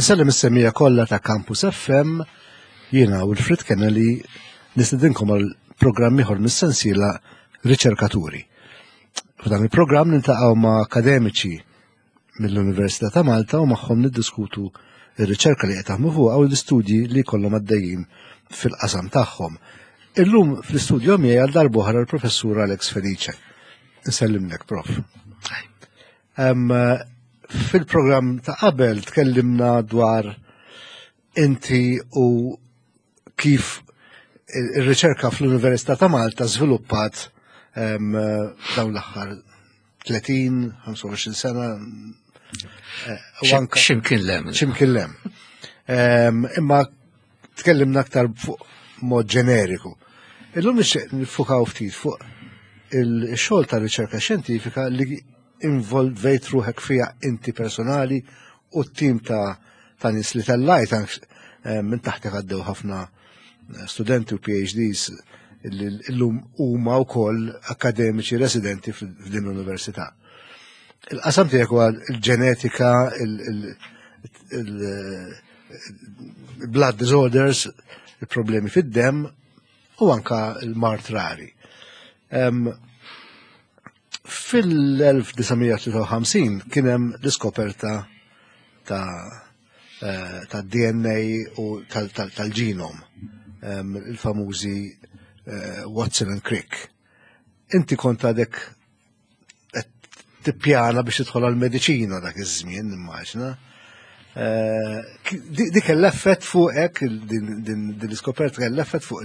Insellem is-semija kollha ta' Campus FM, jiena Wilfred Kennedy nistedinkom għal programm ieħor mis-sensiela Riċerkaturi. F'dan il-programm niltaqgħu ma' akademiċi mill-Università ta' Malta u magħhom niddiskutu ir-riċerka li qed taħdmu fuqha u l-istudji li jkollhom għaddejjin fil-qasam tagħhom. Illum fl-istudju miegħi għal darb'oħra l-Professur Alex Felice. Nsellimlek, Prof. Fil-programm ta' qabel tkellimna dwar inti u kif ir-riċerka fl-Università ta' Malta żviluppat dawn l-aħħar 30, 25 sena. Eh, ximkien lem. Ximkien lem. Imma tkellimna aktar fuq mod ġeneriku. Illum nixtieq nifukaw ftit fuq il-xogħol ta' riċerka xjentifika li involvejt ruħek fija inti personali u t-tim ta' ta' nies li tellajt eh, minn taħtek għaddew ħafna eh, studenti u PhDs li llum huma wkoll akademiċi residenti f'din l-università. Il-qasam tiegħek huwa l-ġenetika, il-blood disorders, il-problemi fid-dem u anka l-mart rari. Fil-1953 kien hemm l-iskoperta ta' eh, ta' DNA u tal-ġenom, il-famużi eh, Watson and Crick. Inti kont għadek tippjana biex tidħol għal-mediċina dak iż-żmien, nimmaġna. Eh, dik l-effett fuqek, din l-iskoperta kell l-effett fuq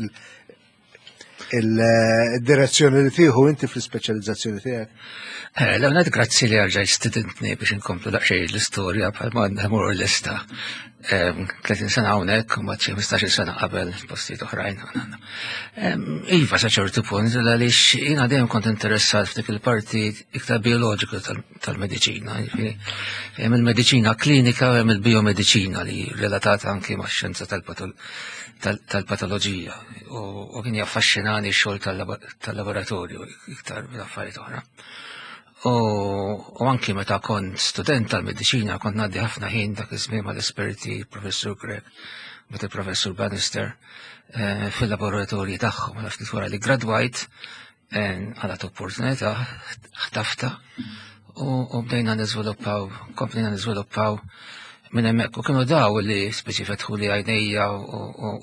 il-direzzjoni li tieħu inti fl-ispeċjalizzazzjoni tiegħek. Eh, Leonard, grazzi li għarġaj studentni biex inkomplu daqsxejn l-istorja bħal ma għandna mur l-lista. 30 ehm, sena hawnhekk u mbagħad xi 15 sena qabel postijiet oħrajn. Ehm, iva sa ċertu punt għaliex jiena dejjem kont interessat f'dik il-parti iktar bioloġiku tal-mediċina. Hemm il-mediċina klinika u hemm il-biomediċina li relatata anki max-xjenza tal-patoloġija u kien jaffaxxinani x-xogħol tal-laboratorju iktar minn affarijiet oħra. U anki meta kont student tal-mediċina kont ngħaddi ħafna ħin dak iż-żmien mal-esperti professur Grek, meta professur Bannister eh, fil-laboratorji tagħhom għal ftit wara li gradwajt eh, għalat opportunità ħtafta u bdejna niżviluppaw, komplejna niżviluppaw minn hemmhekk u kienu daw li speċi fetħu li għajnejja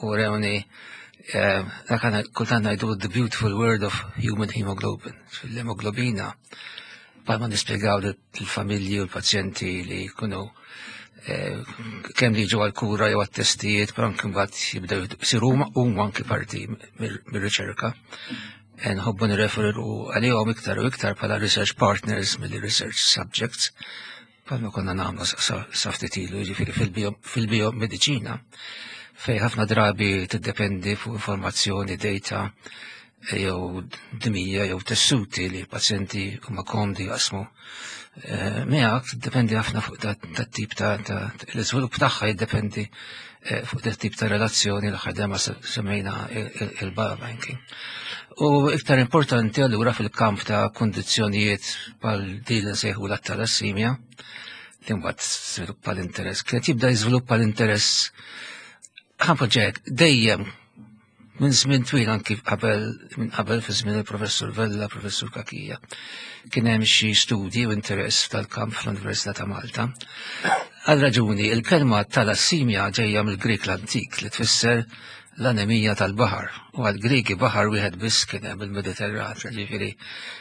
u rewni eh, dak kultant ngħidu the beautiful world of human hemoglobin, l-hemoglobina bħalma nispjegaw lill-familji u l-pazjenti li jkunu eh, kemm li jiġu għal-kura jew għat-testijiet, però anke mbagħad jibdew isiru huma anki parti mir-riċerka. Eh, nħobbu nirreferu għalihom iktar u iktar bħala research partners mill research subjects bħalma konna nagħmlu sa ftit ilu, jiġifieri fil-biomediċina fej ħafna drabi tiddependi fuq informazzjoni, data jew dimija jew tessuti li pazjenti huma komdi jaqsmu. Eh, miegħek tiddependi ħafna fuq dat tip ta' l-iżvilupp tagħha jiddependi eh, fuq dat tip ta' relazzjoni l ħadema semmejna il-biobanking. U iktar importanti allura fil-kamp ta' kundizzjonijiet bħal din li nsejħu l-talassimja, li mbagħad żviluppa l-interess, kienet jibda jiżviluppa l-interess ħanpoġġek dejjem minn żmien twil anki qabel minn qabel fi żmien il-professur Vella, professur Kakija, kien hemm xi studji u interess tal-kamp fl-Università ta' Malta. Għal raġuni, il-kelma talassimja ġejja mill-Grek l-antik li tfisser l-anemija tal-baħar. U għall-Griegi baħar wieħed biss kien hemm il-Mediterran, ġifieri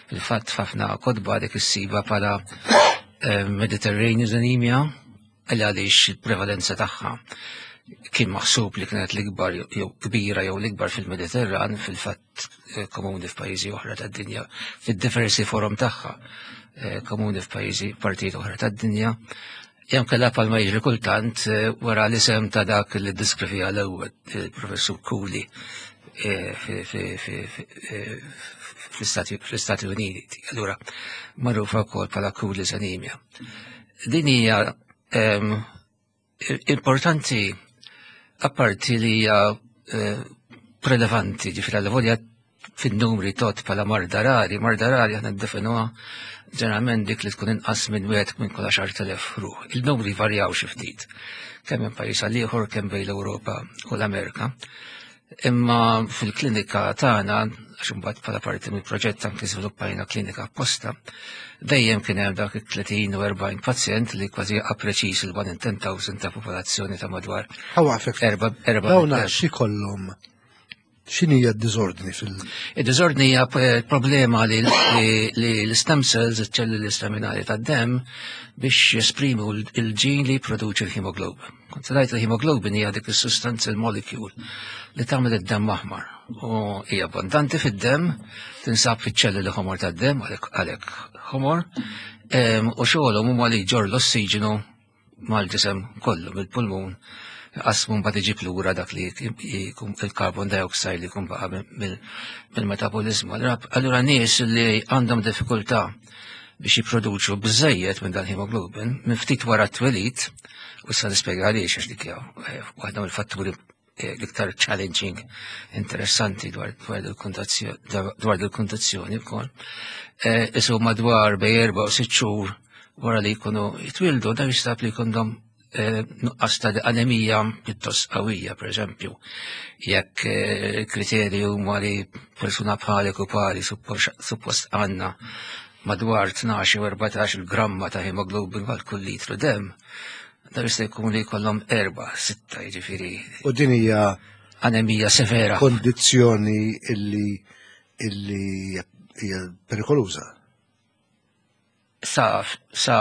fil-fatt f'ħafna kotba dik issiba bħala eh, Mediterranean anemia għal għaliex il-prevalenza tagħha kien maħsub li kienet l-ikbar jew kbira jew l-ikbar fil-Mediterran fil-fatt eh, komuni f'pajjiżi oħra tad-dinja fid-diversi forom tagħha eh, komuni f'pajjiżi partijiet oħra tad-dinja Jew kellha palma jiġri kultant eh, wara l-isem ta' dak li ddiskrivija l-ewwel il-professur Cooley eh, eh, fl-Istati Uniti. Allura magħrufa wkoll bħala Cooley's anemia. Din hija ehm, importanti apparti li hija prelevanti, ġifieri volja. fin-numri tot bħala marda rari, marda rari aħna ndefinuha ġeneralment dik li tkun inqas minn wieħed minn kull 10,000 ruħ. Il-numri varjaw xi ftit, kemm minn pajjiż għal ieħor, kemm bejn l-Ewropa u l-Amerika. Imma fil-klinika tagħna, għax imbagħad bħala parti mill-proġett anke żviluppajna klinika apposta, dejjem kien hemm dak it-30 u 40 pazjent li kważi jaqa' preċiż il-1 in 10,000 ta' popolazzjoni ta' madwar. Ħawafek. Erba' erba' Dawna xi kollhom X'inhi d-diżordni fil- Id-diżordni hija problema li l-stem cells, iċ-ċelluli staminali tad-demm, biex jesprimu l-ġin li jipproduċi l-hemoglobin. Kont ngħid il-hemoglobin hija dik is-sustanza l-molecule li tagħmel id-demm aħmar. U hija abbondanti fid-demm, tinsab fiċ-ċelluli ħomor tad-demm, għalhekk ħomor, u xogħolhom huma li jġorr l-ossiġenu mal-ġisem kollu mill-pulmun qasmu mbagħad iġib lura dak li jkun il-carbon dioxide li jkun baqa' mill-metabolizmu. Allura nies li għandhom diffikultà biex jipproduċu biżejjed minn dan hemoglobin minn ftit wara t-twelid, u issa nispjega għaliex għax dik hija eh, waħda mill-fatturi eh, l-iktar challenging interessanti dwar il-kundazzjoni wkoll. Eh, isu madwar bej erba' u sitt xhur wara li jkunu jitwildu, dan jistab li jkundhom eh, nuqqas ta' anemija pjuttost qawwija, per eżempju, jekk kriterju huma li persuna bħalek u pari suppost għandna madwar 12 u 14 il-gramma ta' hemoglobin għal kull litru dem, Dan jista' jkun li jkollhom erba, sitta, jiġifieri. U din hija anemija severa. Kondizzjoni illi illi hija perikoluża. Sa sa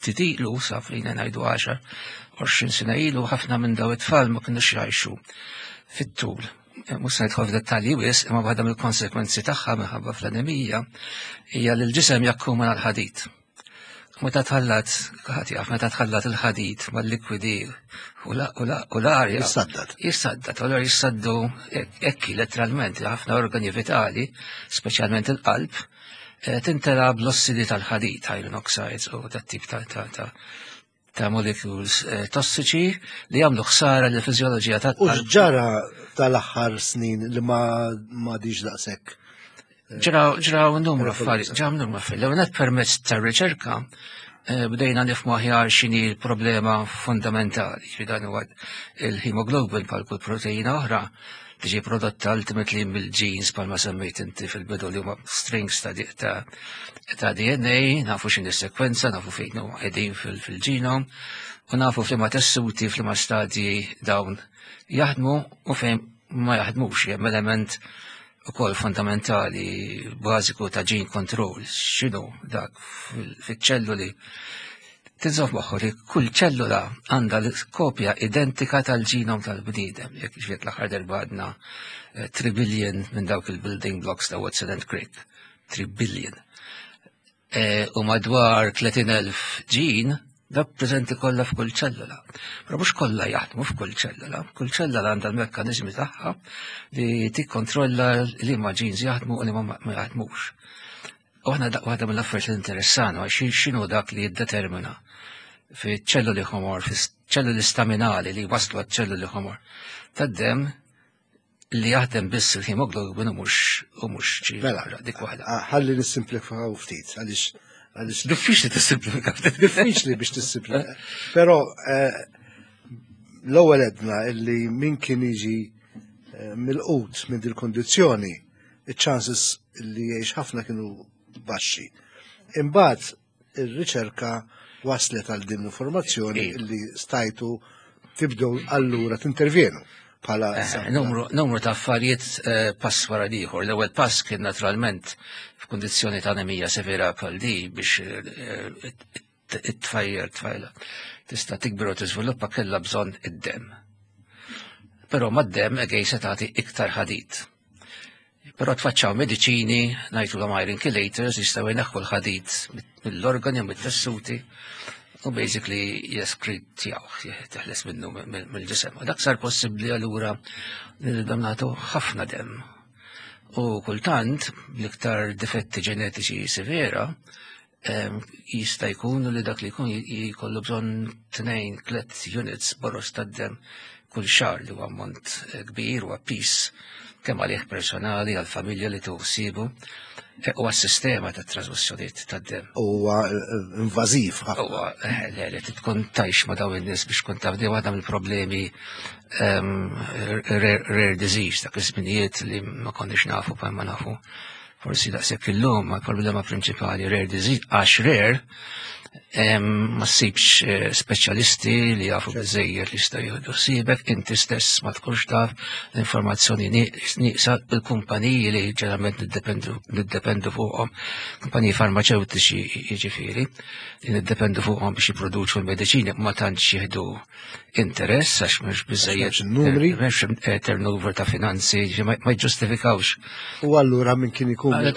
titilu, sa fejn ngħidu 10, 20 sena ilu ħafna minn daw it-tfal ma kinux jgħixu fit-tul. Mhux se nidħol f'dettalji wis, imma waħda mill-konsekwenzi tagħha minħabba fl-anemija hija li l-ġisem jakkumula l-ħadid. Meta tħallat, ħadd jaf, meta tħallat il-ħadid mal-likwidi u l-arja. Jissaddad. Jissaddad, allura jissaddu ekki letteralment ħafna organi vitali, speċjalment il-qalb, eh, tintela bl-ossidi tal-ħadid, iron oxides u dat tip ta' ta' ta' ta' molecules eh, tossiċi li jagħmlu ħsara l fiżjoloġija ta' U ġara tal-aħħar snin li ma ma diġ daqshekk. Eh, ġraw ġraw numru affarijiet, ġraw numru affarijiet. L-ewwel permezz tar-riċerka eh, bdejna nifhmu aħjar x'inhi l-problema fundamentali, ġifieri dan huwa il-hemoglobin bħal kull proteina oħra tiġi prodotta ultimately mill-genes bħalma semmejt inti fil-bidu li huma strings ta', ta, ta DNA, nafu x'inhi sekwenza, nafu fejn huma qegħdin fil-ġenom, u nafu f'liema tessuti, f'liema stadji dawn jaħdmu u fejn ma jaħdmux, hemm element ukoll fundamentali bażiku ta' gene control, x'inhu dak fiċ-ċelluli Tinżomm moħħu li kull ċellula għandha l-kopja identika tal-ġenom tal-bniedem, jekk ġiet l-aħħar darba għadna 3 eh, billion minn dawk il-building blocks ta' Watson and Crick. 3 billion. Eh, u madwar 30.000 ġin dak preżenti kollha f'kull ċellula. Però mhux kollha jaħdmu f'kull ċellula. Kull ċellula għandha l-mekkaniżmi tagħha li tikkontrolla li ma ġins jaħdmu u li ma jaħdmux. U aħna waħda mill-affarijiet li interessana għax x'inhu dak li jiddetermina fi ċelluli ħomor, fi ċelluli staminali li waslu għad ċelluli ħomor tad-dem li jaħdem biss il-hemoglobin u mhux u mhux mela, dik waħda. Ħalli nissimplifikaw ftit għaliex għaliex diffiċli tissimplifika ftit. Diffiċli biex tissimplifika. Però eh, l-ewwel edna illi min kien jiġi eh, mill-qut minn dil-kondizzjoni iċ-chances li jgħix ħafna kienu baxxi. Imbagħad ir-riċerka waslet għal din l-informazzjoni li stajtu tibdew allura tintervjenu bħala eh, numru, numru ta' affarijiet eh, pass wara ieħor. L-ewwel pass kien naturalment f'kundizzjoni ta' anemija severa bħal di biex eh, it-tfajjel tfajla tista' tikber u tiżviluppa kellha bżonn id-demm. Però mad-demm egej se tagħti iktar ħadid. Però tfaċċaw mediċini, ngħidu l iron chelators, jistgħu jneħħu l-ħadid mill-organi u mit-tessuti u basically jeskritjaw, teħles minnu mill-ġisem. U dak sar possibbli allura li nibdew nagħtu ħafna demm. U kultant, l-iktar difetti ġenetiċi severa, jista' jkun li dak li jkun jkollu bżonn tnejn tliet units boros tad-demm kull xahar li huwa ammont eh, kbir huwa pis. Kemm għalih personali, għall-familja li tuħsibu, e, u għas-sistema ta' trasmissjonijiet tad-dem. Huwa eh, invażiv ħafna. Huwa eh, le li tkun tajx ma' dawn in-nies biex tkun taf di waħda mill-problemi ehm, rare disease ta' iż-żminijiet li ma konniex nafu bħal ma nafu. Forsi daqshekk illum ma problema prinċipali rare disease għax rare ma ssibx eh, speċjalisti li jafu biżejjed li jistgħu jieħdu ħsiebek, inti stess ma tkunx taf l-informazzjoni nieqsa il-kumpaniji li ġeneralment niddependu fuqhom, kumpaniji farmaceutiċi jiġifieri, li niddependu fuqhom biex jipproduċu l-mediċini ma tantx jieħdu interess għax mhux biżejjed numri, m'hemmx eh, turnover ta' finanzi, ma jġustifikawx. U allura minn kien ikun eh,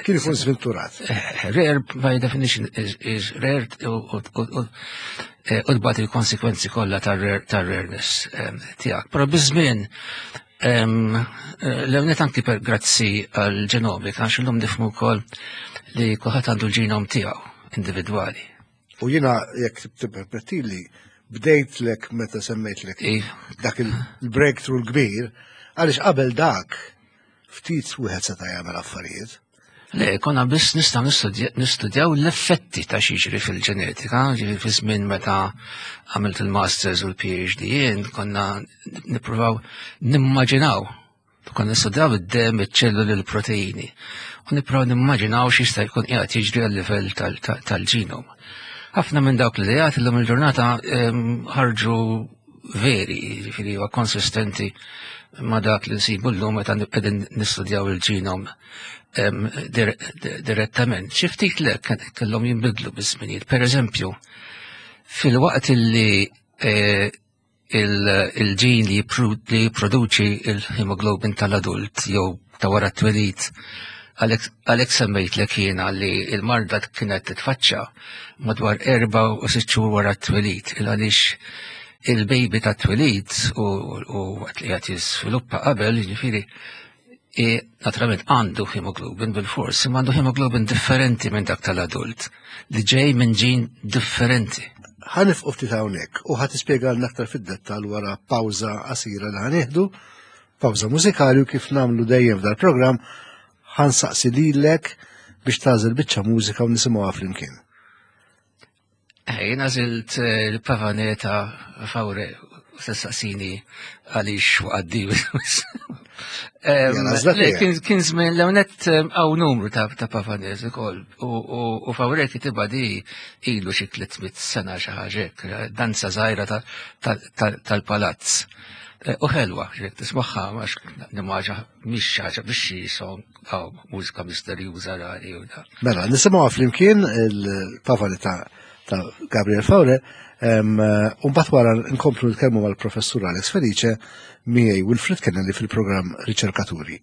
kien ikun sventurat. Eh, rare by definition is, is rare u tbagħat il-konsekwenzi kollha tar-rareness tiegħek. Però biż-żmien l-ewnet anki per grazzi għal-ġenomika, għax illum nifhmu wkoll li kulħadd għandu l-ġenom tiegħu individwali. U jiena jekk tippermettili bdejtlek meta semmejtlek dak il-breakthrough l-kbir, għaliex qabel dak ftit wieħed seta' jagħmel affarijiet. Le, konna biss nistgħu nistudjaw l-effetti ta' xiġri fil-ġenetika, ġifieri fi żmien meta għamilt il-masters u l-PhD jien konna nippruvaw nimmaġinaw Konna nistudjaw id-dem, iċ-ċelluli, l-proteini. U nipprovaw nimmaġinaw x'jista' jkun qiegħed jiġri għal livell tal-ġenom. Ħafna minn dawk l-idejat illum il-ġurnata ehm, ħarġu veri, jiġifieri huwa konsistenti ma' dak li nsibu llum meta qegħdin nistudjaw il-ġenom ehm, direttament. Xi ftit le kellhom jinbidlu biż-żminijiet. Per eżempju, fil-waqt li eh, il-ġin li jipproduċi il-hemoglobin tal-adult jew ta' wara t-twelid għalhekk semmejtlek jiena li l-marda kienet titfaċċa madwar erba' u sitt xhur wara t-twelid il għaliex il-baby ta' twelid u waqt li qed jiżviluppa qabel, jiġifieri E, naturalment għandu hemoglobin bil-fors, imma għandu hemoglobin differenti minn dak tal-adult, li ġej minn ġin differenti. Ħanifqu ftit hawnhekk u ħa tispjegalna aktar fid-dettall wara pawża qasira li ħanieħdu, pawża mużikali u kif nagħmlu dejjem f'dal-programm ħansaqsi lilek biex tagħżel biċċa mużika u nisimgħuha flimkien. Eh, jien għażilt eh, l-pavaneta fawre sessaqsini għaliex waqaddi. Kien żmien l net għaw numru ta' pavanez ukoll u fawre kitibha di ilu xi 300 sena xi ħaġa danza żgħira tal-palazz. Eh, u ħelwa, jekk tismagħha għax nimmaġa mhix ħaġa biex xi song Aw, mużika misterjuża rari u da. Mela, nisimgħu flimkien il-pavali ta' ta' Gabriel Faure, u mbagħad wara nkomplu nitkellmu mal-professur Alex Felice miegħi Wilfred Kennedy fil-programm Riċerkaturi.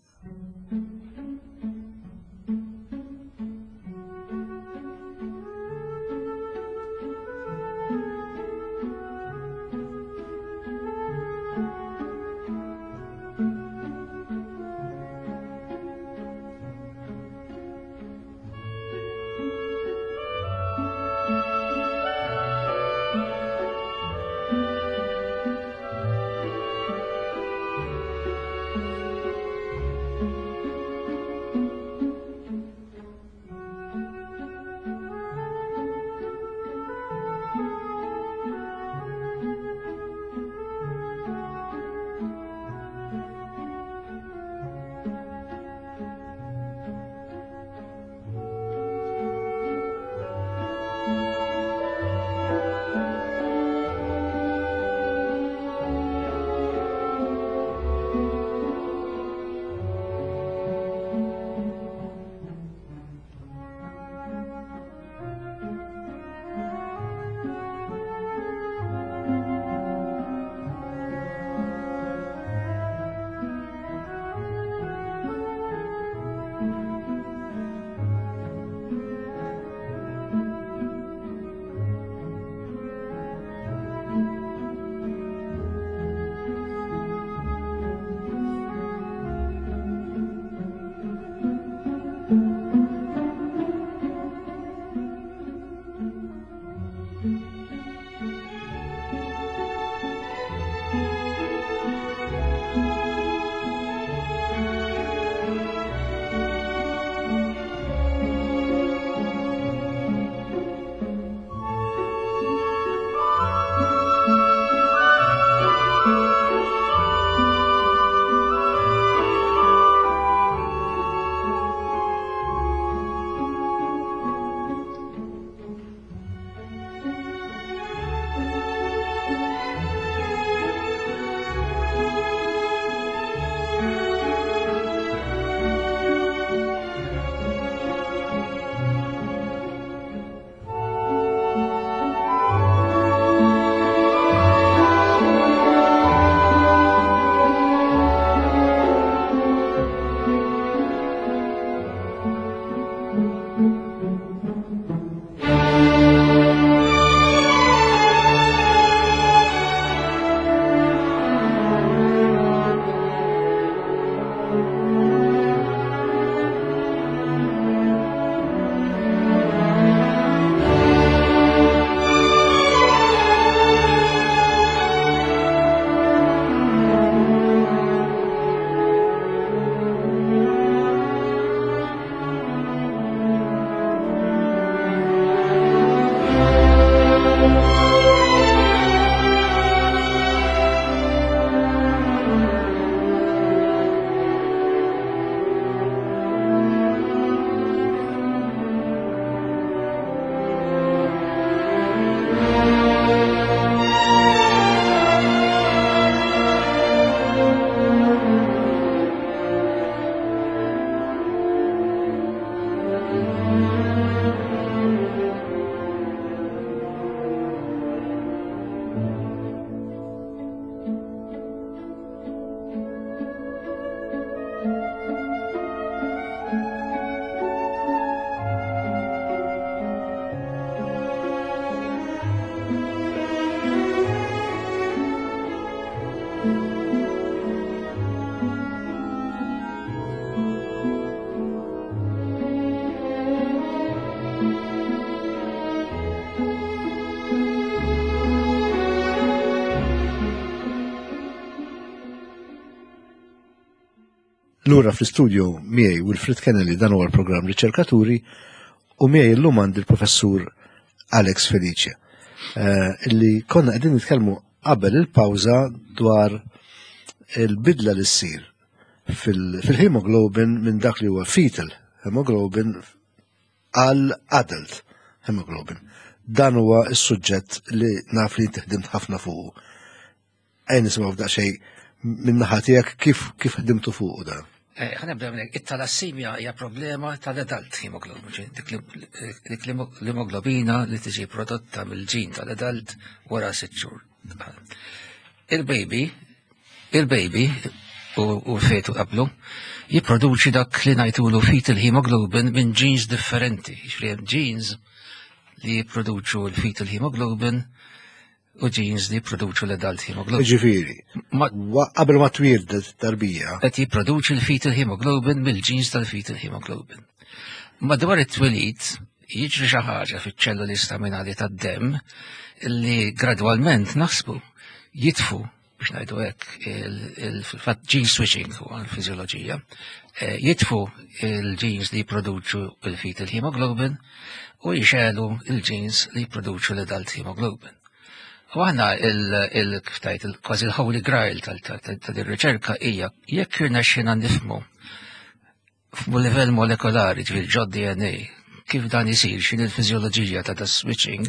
Lura fl-istudio miegħi Wilfred Kennelly dan huwa l-programm Riċerkaturi u miegħi llum għandi l-professur Alex Felice eh, illi konna qegħdin nitkellmu qabel il-pawża dwar il-bidla li ssir fil-hemoglobin minn dak li huwa fetal hemoglobin għal adult hemoglobin. Dan huwa s-suġġett li naf li inti ħdimt ħafna fuqu. Ejja nisimgħu f'daqsxejn minn naħa tiegħek kif kif ħdimtu fuqu dan. Eh, ħa nibda minn it-talassimja hija problema tal-adult hemoglobin, dik l-emoglobina li tiġi prodotta mill-ġin tal-adult wara sitt xhur. Il-baby, il-baby u l-fetu qablu, jipproduċi dak li ngħidulu fetal hemoglobin minn genes differenti. Jiġifieri genes li jipproduċu l-fetal hemoglobin u genes li jipproduċu l-adult hemoglobin. Ġifieri, qabel ma twieldet tarbija. Qed jipproduċi l-fetal hemoglobin mill-genes tal-fetal hemoglobin. Madwar it-twelid jiġri xi ħaġa fiċ-ċelluli staminali tad-demm li gradwalment naħsbu jitfu biex ngħidu hekk il-fatt gene switching huwa l-fiżjoloġija, eh, jitfu il-genes li jipproduċu il-fetal hemoglobin u jxelu il-genes li jipproduċu l-adult hemoglobin. U aħna il-kiftajt, kważi l-holy grail tal-riċerka hija jekk irnexxina nifmu f'livell molekolari, ġifieri ġod DNA, kif dan isir, x'in il-fiżjoloġija ta' da switching,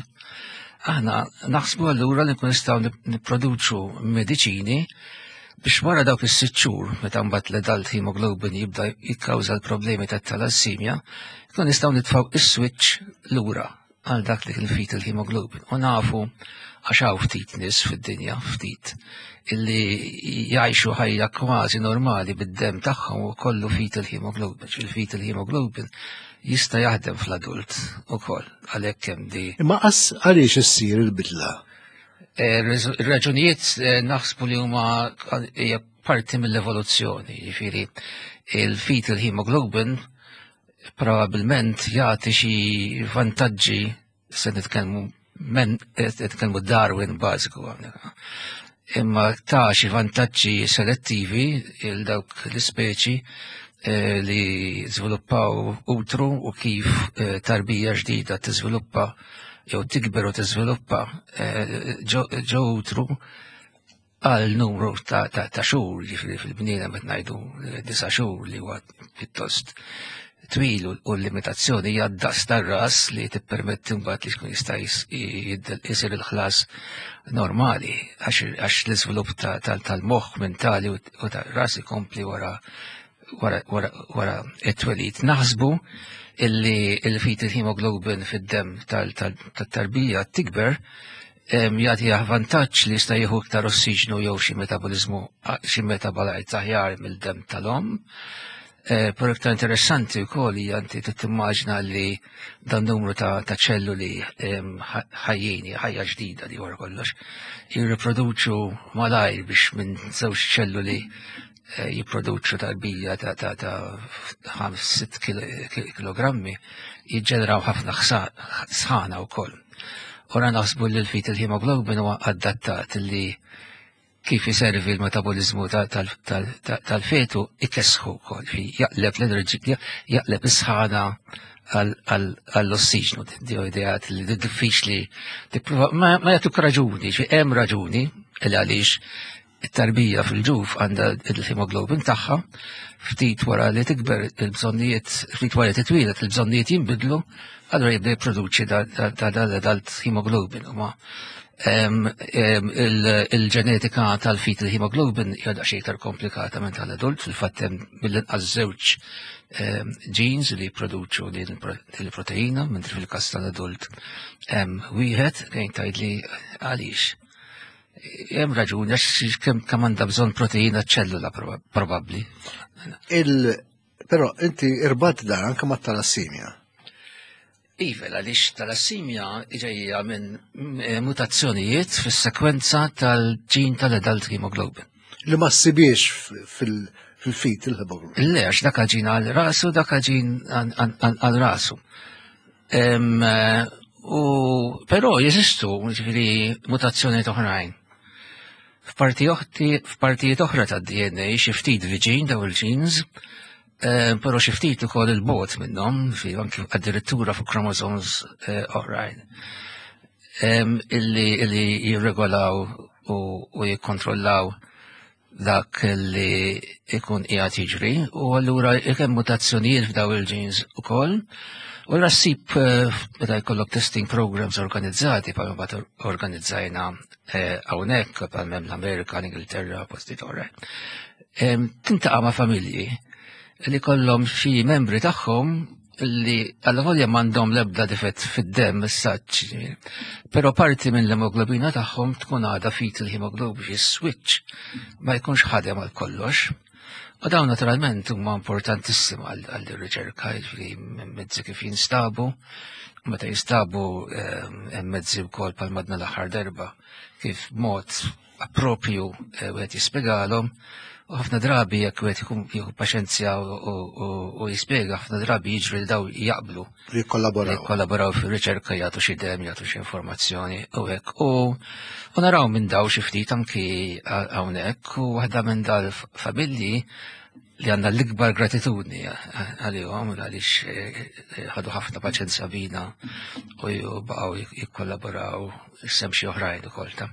aħna naħsbu allura li nkun nistgħu nipproduċu mediċini biex wara dawk is-sitt xhur meta mbagħad l-adult hemoglobin jibda jikkawża l-problemi tat-talassimja, nkun nistgħu nitfgħu is-switch lura għal dak li kien fetal hemoglobin. U nafu għax hawn ftit nies fid-dinja, ftit, illi jgħixu ħajja kważi normali bid-dem tagħhom u kollu fetal hemoglobin. Il-fetal hemoglobin jista' jaħdem fl-adult ukoll għalhekk hemm di. Imma qas għaliex issir il-bidla? Eh, ir-raġunijiet eh, naħsbu li huma hija parti mill-evoluzzjoni, jiġifieri il-fetal hemoglobin probabbilment jagħti xi vantaġġi se nitkellmu men nitkellmu Darwin bażiku hawnhekk. Imma ta' xi vantaġġi selettivi il dawk l-ispeċi eh, li żviluppaw utru u kif eh, tarbija ġdida tiżviluppa jew tikber u tiżviluppa eh, ġo utru għal numru ta', ta, ta xhur, ġifieri fil-bniedem qed ngħidu eh, disa' xhur li huwa pjuttost twil u l-limitazzjoni hija d-daqs tar-ras li tippermetti mbagħad li tkun jista' jsir il-ħlas normali għax l-iżvilupp tal-moħħ mentali u tar-ras ikompli wara wara it-twelid. Naħsbu illi il-fetal hemoglobin fid-dem tal-tarbija tikber jagħti vantaġġ li jista' jieħu iktar ossiġnu jew xi metabolizmu xi metabolite aħjar mill-dem tal-omm. Eh, però iktar interessanti wkoll hija inti timmaġna li dan numru ta' ċelluli ħajjin, ħajja ġdida li wara kollox, jirriproduċu malajr biex minn żewġ ċelluli eh, jipproduċu tarbija ta' ta' ta' 5-6 kilogrammi jiġġeneraw ħafna sħana wkoll. Ora naħsbu li l-fetal hemoglobin huwa adattat li kif jiservi l-metabolizmu tal-fetu ikesħu wkoll, jaqleb l-enerġija, jaqleb is-sħana għall-ossiġnu, di ideat li diffiċli ma jagħtuk raġuni, xi hemm raġuni li għaliex it-tarbija fil-ġuf għandha il-hemoglobin tagħha, ftit wara li tikber il-bżonnijiet, ftit wara li titwieled il-bżonnijiet jinbidlu, allura jibda jipproduċi dal-hemoglobin. Huma il-ġenetika tal-fetal hemoglobin hija daqsxejn iktar komplikata minn tal-adult, fil-fatt hemm mill-inqas żewġ genes li jipproduċu din il-proteina, mentri fil-każ tal-adult hemm wieħed fejn tgħidli għaliex. Hemm raġuni għax kemm kemm għandha bżonn proteina ċellula probabbli. Il però inti irbat dan anke mat-talassimja. Iva, għaliex talassimja ġejja minn eh, mutazzjonijiet fis-sekwenza tal-ġin tal-adult hemoglobin. Li ma ssibiex fil-fit il-hemoglobin. Le, għax dak ġin għal rasu, dak ġin għal rasu. Eh, u però jeżistu ġifieri mutazzjonijiet oħrajn. F'partijiet oħra tad-DNA xi ftit viċin daw il-genes, eh, però xi ftit ukoll il-bot minnhom, fi anki addirittura fuq chromosomes eh, oħrajn. Illi illi jirregolaw u jikkontrollaw dak li ikun qiegħed jiġri u allura jekk hemm mutazzjonijiet f'daw il-genes ukoll. U allura ssib eh, meta jkollok testing programs organizzati bħalma bat organizzajna eh, hawnhekk bħal hemm l-Amerika, l-Ingilterra, postijiet oħra. Tintaqa' ma' familji li kollhom xi membri tagħhom li għal-volja m'għandhom l-ebda difett fid-demm is-saċ, però parti minn l-emoglobina tagħhom tkun għadha fetal hemoglobin biex switch ma jkunx ħadem għal kollox. U dawn naturalment huma importantissima għall-riċerka, jiġifieri mezzi kif jinstabu, meta jinstabu ehm, hemm mezzi wkoll bħal madna l-aħħar darba kif mod appropju eh, wieħed jispjegalhom u ħafna drabi jekk wieħed ikun jieħu paċenzja u jispjega ħafna drabi jiġri li daw jaqblu. Jikkollaboraw. Jikkollaboraw fir-riċerka jagħtu xi dem, jagħtu xi informazzjoni u hekk. U naraw minn daw xi ftit anki hawnhekk u waħda minn dal-familji li għandna l-ikbar gratitudni għalihom għaliex eh, eh, ħadu ħafna paċenzja bina u baqgħu jikkollaboraw sem xi oħrajn ukoll ta'.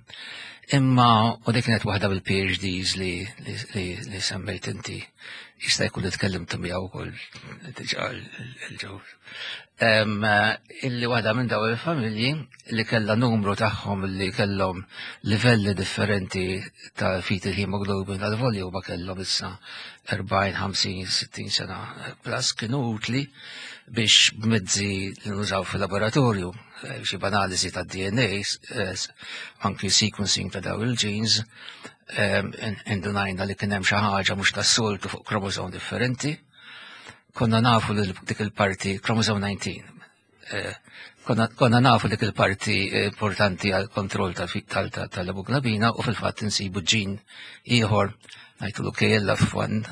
Imma u dik kienet waħda mill-PhDs li, li, li, li semmejt inti jista' jkun li tkellimtu miegħu wkoll diġà l-ġew. Illi waħda minn daw il-familji li kellha numru tagħhom li kellhom livelli differenti ta' fetal hemoglobin għal-volju ma kellhom issa 40, 50, 60 sena plus kienu utli biex b'mezzi li nużaw fil-laboratorju Eh, xi banaliżi ta' DNA, eh, anki sequencing ta' daw il-genes, eh, indunajna li kien hemm xi ħaġa mhux tas-soltu fuq kromosom differenti. Konna nafu li dik il-parti kromosom 19. Konna nafu dik il-parti importanti għal kontroll tal-hemoglobina u fil-fatt insibu ġin ieħor ngħidulu KLF1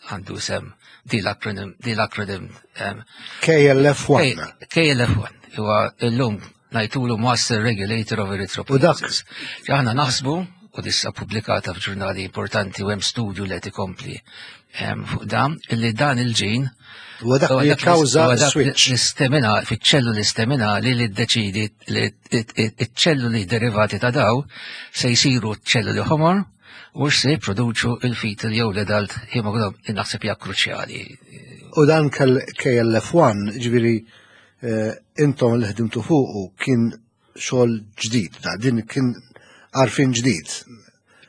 għandu sem di l-acronym di l-acronym KLF1. KLF1 huwa illum ngħidulu Master Regulator of Erythropoiesis. Aħna naħsbu u dissa pubblikata f'ġurnali importanti u hemm studju li qed ikompli fuq dan illi dan il-ġin U dak li jikkawża switch. L-istemina, fiċ-ċelluli staminali li ddeċidi li ċ-ċelluli derivati ta' daw se jsiru ċelluli ħomor u se jipproduċu il-fetal jew l-adult hemoglobin naħseb hija kruċjali. U dan KLF1, ġifieri eh, intom li ħdimtu fuqu kien xogħol ġdid, da din kien għarfien ġdid.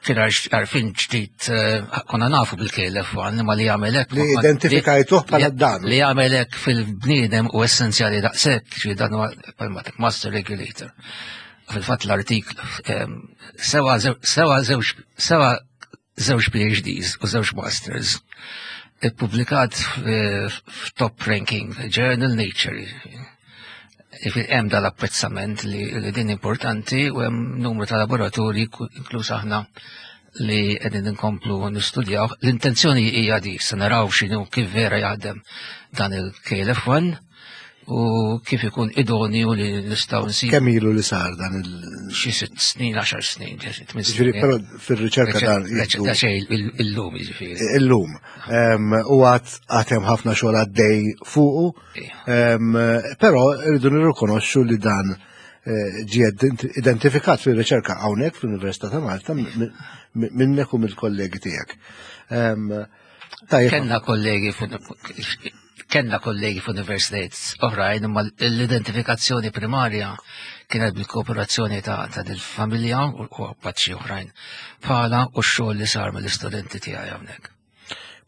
Kien għarfien ġdid eh, konna nafu bil-KLF1 imma li jagħmel hekk. Li identifikajtuh bħala dan. Li jagħmel hekk fil-bniedem u essenzjali daqshekk, ġifieri dan huwa master regulator. Fil-fatt l-artiklu sewa sewa żewġ sewa żewġ PhDs u żewġ masters ippubblikat f'top ranking journal Nature. Hemm dal-apprezzament li, li din importanti u hemm numru ta' laboratorji inkluż aħna li qegħdin inkomplu nistudjaw. L-intenzjoni hija di se naraw x'inhu kif vera jaħdem dan il-KLF1 u kif ikun idonju li nistgħu nsib. Kemm ilu li sar dan il xi sitt snin, għaxar snin, tmien snin. Però fir-riċerka dan. Da xejn illum jiġifieri. Illum. U għad għad hemm ħafna xogħol għaddej fuqu. Però rridu nirrikonoxxu li dan eh, ġie identifikat fir-riċerka hawnhekk fl-Università ta' Malta minnek u mill-kollegi tiegħek. Kenna kollegi Kenna kollegi f'universitajiet oħrajn, imma l-identifikazzjoni primarja kienet bil-kooperazzjoni ta' ta' dil-familja u paċċi oħrajn bħala u x-xogħol li sar mill-istudenti tiegħi hawnhekk.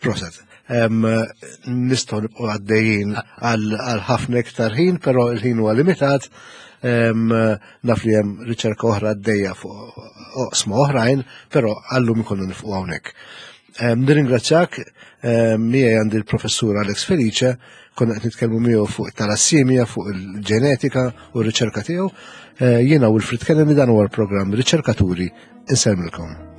Proset. Nistgħu nibqgħu għaddejjin għal ħafna iktar ħin, però il-ħin huwa limitat. Naf li hemm riċerka oħra għaddejja fuq oqsma oħrajn, però għallum ikollu nifqu hawnhekk. Nirringrazzjak, miegħi għandi l-professur Alex Felice, konna qed nitkellmu miegħu fuq talassimja, fuq il-ġenetika u r-riċerka tiegħu. Eh, jiena Wilfrid Kennedy dan huwa l-programm Riċerkaturi insellmilkom.